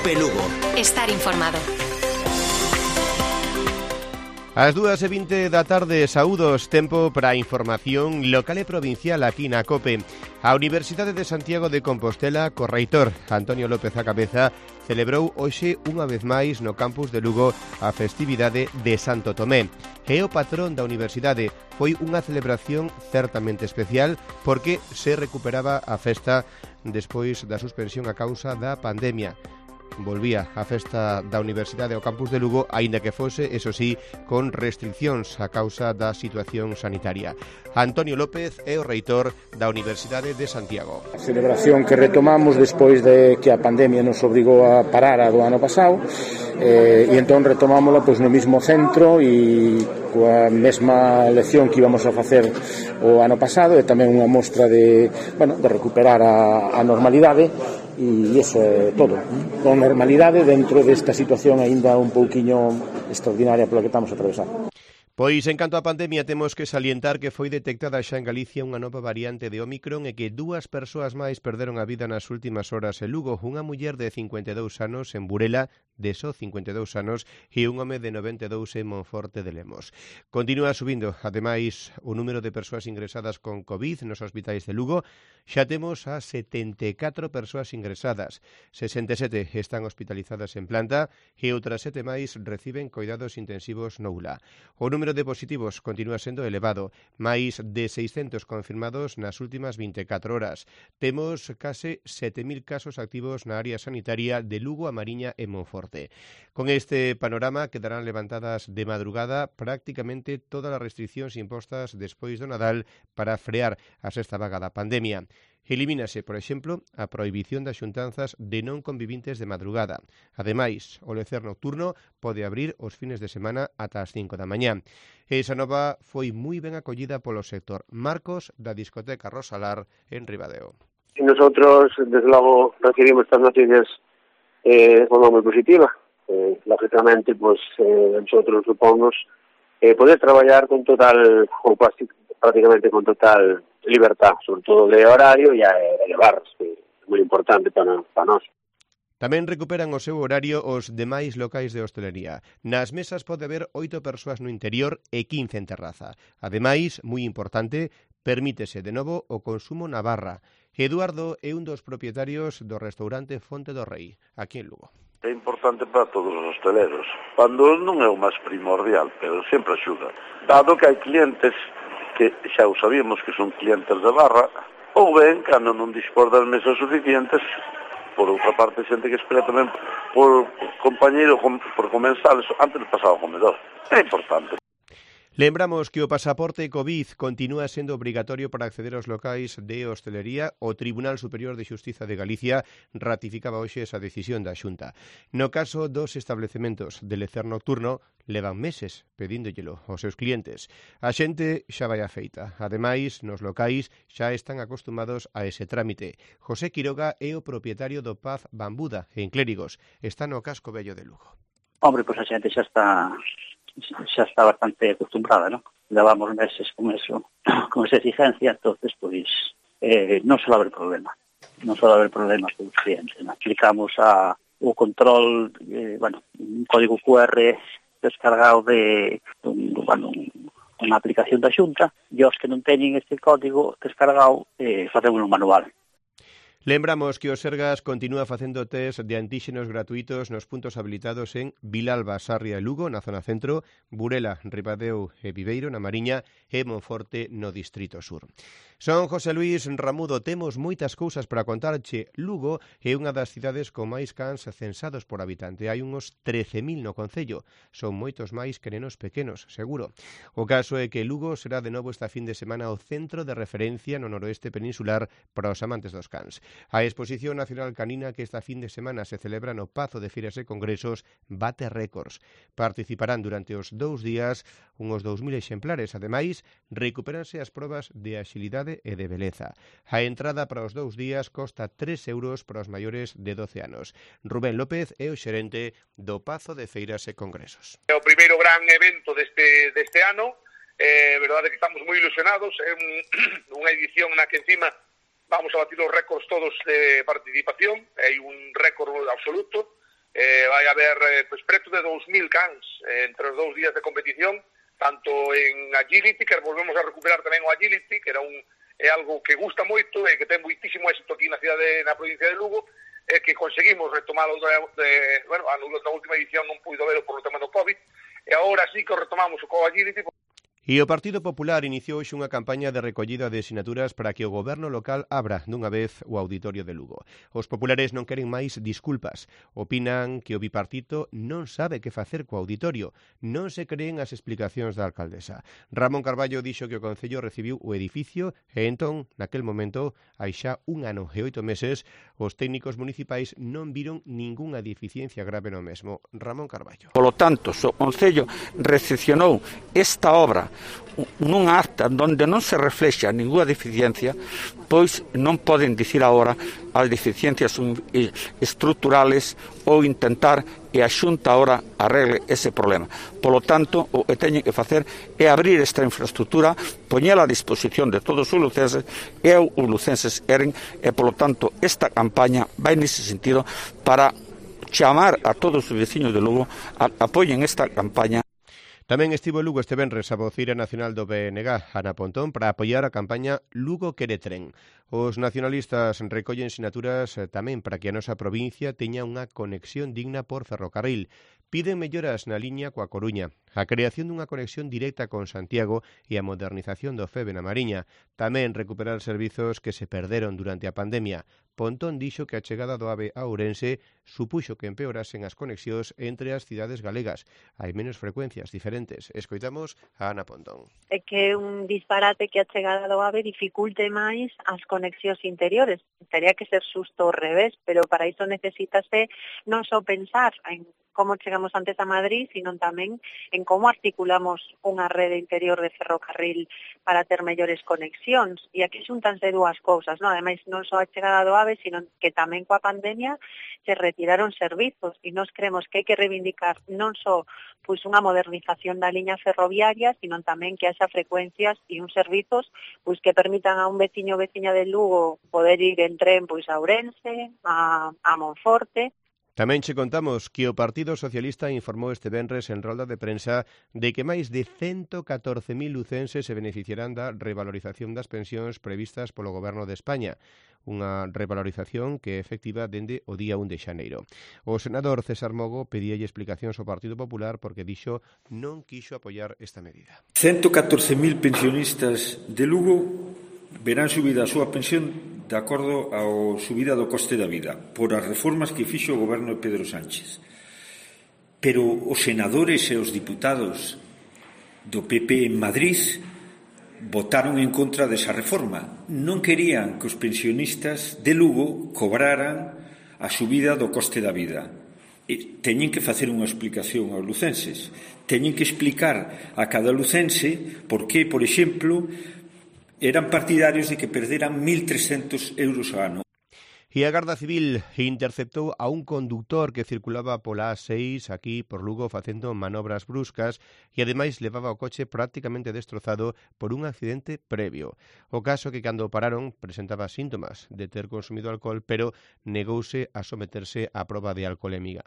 COPE Lugo. Estar informado. Ás 2:20 da tarde, saúdos, tempo para a información local e provincial aquí na COPE. A Universidade de Santiago de Compostela, co reitor Antonio López á cabeza, celebrou hoxe unha vez máis no campus de Lugo a festividade de Santo Tomé. E o patrón da universidade. Foi unha celebración certamente especial porque se recuperaba a festa despois da suspensión a causa da pandemia. Volvía a festa da Universidade ao campus de Lugo, aínda que fose, eso sí, con restriccións a causa da situación sanitaria. Antonio López é o reitor da Universidade de Santiago. A celebración que retomamos despois de que a pandemia nos obrigou a parar a do ano pasado, e entón retomámola pois no mismo centro e coa mesma lección que íbamos a facer o ano pasado, e tamén unha mostra de recuperar a normalidade. E iso é todo, con normalidade dentro desta situación aínda un pouquiño extraordinaria pola que estamos a atravesar. Pois, en canto á pandemia, temos que salientar que foi detectada xa en Galicia unha nova variante de Ómicron e que 2 persoas máis perderon a vida nas últimas horas en Lugo. Unha muller de 52 anos en Burela, de só 52 anos, e un home de 92 en Monforte de Lemos. Continúa subindo, ademais, o número de persoas ingresadas con COVID nos hospitais de Lugo. Xa temos a 74 persoas ingresadas, 67 están hospitalizadas en planta e outras 7 máis reciben coidados intensivos no ULA. O número de positivos continúa sendo elevado, máis de 600 confirmados nas últimas 24 horas. Temos case 7.000 casos activos na área sanitaria de Lugo, A Mariña e Monforte. Con este panorama quedarán levantadas de madrugada prácticamente todas as restriccións impostas despois do Nadal para frear a sexta vaga da pandemia. Elimínase, por exemplo, a prohibición das xuntanzas de non convivintes de madrugada. Ademais, o lecer nocturno pode abrir os fines de semana ata as 5 da mañá. Esa nova foi moi ben acollida polo sector. Marcos, da discoteca Rosalar, en Ribadeo. Nosotros, desde logo, recibimos estas noticias de forma moi positiva. Lógicamente, nosotros supongos poder traballar con total, ou prácticamente con total libertad, sobre todo de horario e elevarse, que é moi importante para nós. Tamén recuperan o seu horario os demais locais de hostelería. Nas mesas pode haber 8 persoas no interior e 15 en terraza. Ademais, moi importante, permítese de novo o consumo na barra. Eduardo é un dos propietarios do restaurante Fonte do Rei, aquí en Lugo. É importante para todos os hosteleros, cando non é o máis primordial, pero sempre axuda. Dado que hai clientes que xa o sabíamos que son clientes de barra, ou ben, cando non dispor das mesas suficientes, por outra parte, xente que espera tamén por compañeiro, por comensales, antes de pasar ao comedor. É importante. Lembramos que o pasaporte COVID continúa sendo obrigatorio para acceder aos locais de hostelería. O Tribunal Superior de Xustiza de Galicia ratificaba hoxe esa decisión da Xunta. No caso dos establecementos de lecer nocturno, levan meses pedíndollo aos seus clientes. A xente xa vai afeita. Ademais, nos locais xa están acostumados a ese trámite. José Quiroga é o propietario do Paz Bambuda, en Clérigos. Está no casco vello de Lugo. Hombre, pois a xente xa está bastante acostumbrada, ¿no? Levamos meses con eso, con esa exigencia, entonces, pois, non suele haber problema. Non suele haber problemas con os clientes, ¿no? Aplicamos o control, un código QR descargado de unha aplicación da Xunta, e os que non teñen este código descargado, facemos un manual. Lembramos que o Sergas continúa facendo test de antíxenos gratuitos nos puntos habilitados en Vilalba, Sarria e Lugo, na zona centro, Burela, Ribadeo e Viveiro, na Mariña, e Monforte, no Distrito Sur. Son José Luis Ramudo, temos moitas cousas para contarche. Lugo é unha das cidades con máis cans censados por habitante. Hai uns 13.000 no concello. Son moitos máis que nenos pequenos, seguro. O caso é que Lugo será de novo esta fin de semana o centro de referencia no noroeste peninsular para os amantes dos cans. A Exposición Nacional Canina que esta fin de semana se celebra no Pazo de Feiras e Congresos bate récords. Participarán durante os 2 días uns 2.000 exemplares. Ademais, recupéranse as probas de axilidade e de beleza. A entrada para os 2 días costa 3 euros para os maiores de 12 anos. Rubén López é o xerente do Pazo de Feiras e Congresos. É o primeiro gran evento deste ano. Verdade que estamos moi ilusionados. É unha edición na que encima vamos a batir os récords todos de participación. Hai un récord absoluto. vai haber pues, preto de 2.000 cans entre os 2 días de competición, tanto en agility, que volvemos a recuperar tamén o agility, que é algo que gusta moito e que ten moitísimo éxito aquí na provincia de Lugo, e que conseguimos retomalo na última edición non puido verlo por o tema do COVID, e agora sí que retomamos o co-agility. E o Partido Popular iniciou hoxe unha campaña de recollida de sinaturas para que o goberno local abra dunha vez o auditorio de Lugo. Os populares non queren máis disculpas. Opinan que o bipartito non sabe que facer co auditorio. Non se creen as explicacións da alcaldesa. Ramón Carballo dixo que o Concello recibiu o edificio e entón, naquel momento, hai xa 1 ano e 8 meses, os técnicos municipais non viron ningunha deficiencia grave no mesmo. Ramón Carballo. Polo tanto, o Concello recepcionou esta obra nunha acta onde non se reflexa ninguna deficiencia, pois non poden dicir agora as deficiencias estruturales ou intentar que a Xunta agora arregle ese problema. Polo tanto, o que teñen que facer é abrir esta infraestructura, poñela a disposición de todos os lucenses e os lucenses queren, e polo tanto esta campaña vai nese sentido para chamar a todos os veciños de Lugo a apoyen esta campaña. Tamén estivo Lugo este venres a voceira nacional do BNG, Ana Pontón, para apoiar a campaña Lugo quere tren. Os nacionalistas recollen sinaturas tamén para que a nosa provincia teña unha conexión digna por ferrocarril. Piden melloras na liña coa Coruña, a creación dunha conexión directa con Santiago e a modernización do FEB na Mariña. Tamén recuperar servizos que se perderon durante a pandemia. Pontón dixo que a chegada do AVE a Ourense supuxo que empeorasen as conexións entre as cidades galegas. Hai menos frecuencias diferentes. Escoitamos a Ana Pontón. É que é un disparate que a chegada do AVE dificulte máis as conexións interiores. Tería que ser xusto ao revés, pero para iso necesítase non só pensar en como chegamos antes a Madrid, sino tamén en como articulamos unha rede interior de ferrocarril para ter mellores conexións. E aquí xuntanse dúas cousas, non? Ademais, non só a chegada do AVE, sino que tamén coa pandemia se retiraron servizos e nos creemos que hai que reivindicar non só pois unha modernización da liña ferroviaria, sino tamén que haxa frecuencias e uns servizos pois que permitan a un veciño ou veciña de Lugo poder ir en tren pois a Ourense, a Monforte. Tamén che contamos que o Partido Socialista informou este venres en rolda de prensa de que máis de 114.000 lucenses se beneficiarán da revalorización das pensións previstas polo Goberno de España, unha revalorización que é efectiva dende o día 1 de xaneiro. O senador César Mogo pedíalle explicacións ao Partido Popular porque dixo non quixo apoiar esta medida. 114.000 pensionistas de Lugo verán subida a súa pensión de acordo á subida do coste da vida por as reformas que fixo o goberno de Pedro Sánchez. Pero os senadores e os diputados do PP en Madrid votaron en contra desa reforma. Non querían que os pensionistas de Lugo cobraran a subida do coste da vida. E teñen que facer unha explicación aos lucenses. Teñen que explicar a cada lucense por que, por exemplo, eran partidarios de que perderan 1.300 euros ao ano. E a Garda Civil interceptou a un conductor que circulaba pola A6 aquí por Lugo facendo manobras bruscas e ademais levaba o coche prácticamente destrozado por un accidente previo. O caso que cando pararon presentaba síntomas de ter consumido alcohol, pero negouse a someterse á proba de alcolemia.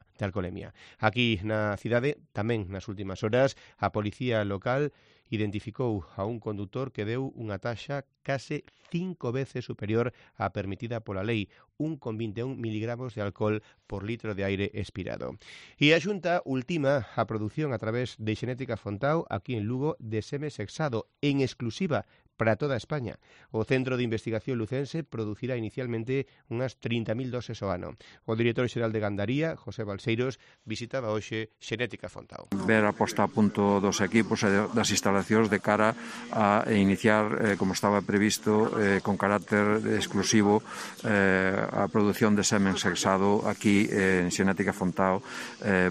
Aquí na cidade, tamén nas últimas horas, a policía local identificou a un conductor que deu unha taxa case 5 veces superior á permitida pola lei, 1,21 miligramos de alcohol por litro de aire expirado. E a Xunta ultima a produción a través de Xenética Fontao aquí en Lugo de seme sexado en exclusiva para toda España. O Centro de Investigación Lucense producirá inicialmente unhas 30.000 doses ao ano. O director xeral de Gandaría, José Balseiros, visitaba hoxe Xenética Fontao. Ver a posta a punto dos equipos e das instalacións de cara a iniciar, como estaba previsto, con carácter exclusivo a produción de semen sexado aquí en Xenética Fontao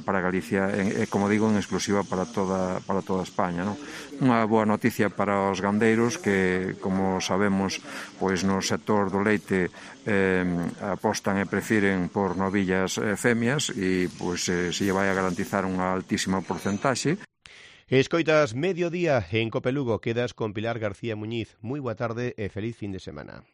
para Galicia, como digo, en exclusiva para toda España, non? Unha boa noticia para os gandeiros que, como sabemos, pois no sector do leite apostan e prefiren por novillas femias e pois se lle vai a garantizar unha altísima porcentaxe. Escoitas Mediodía en Cope Lugo, quedas con Pilar García Muñiz. Moi boa tarde e feliz fin de semana.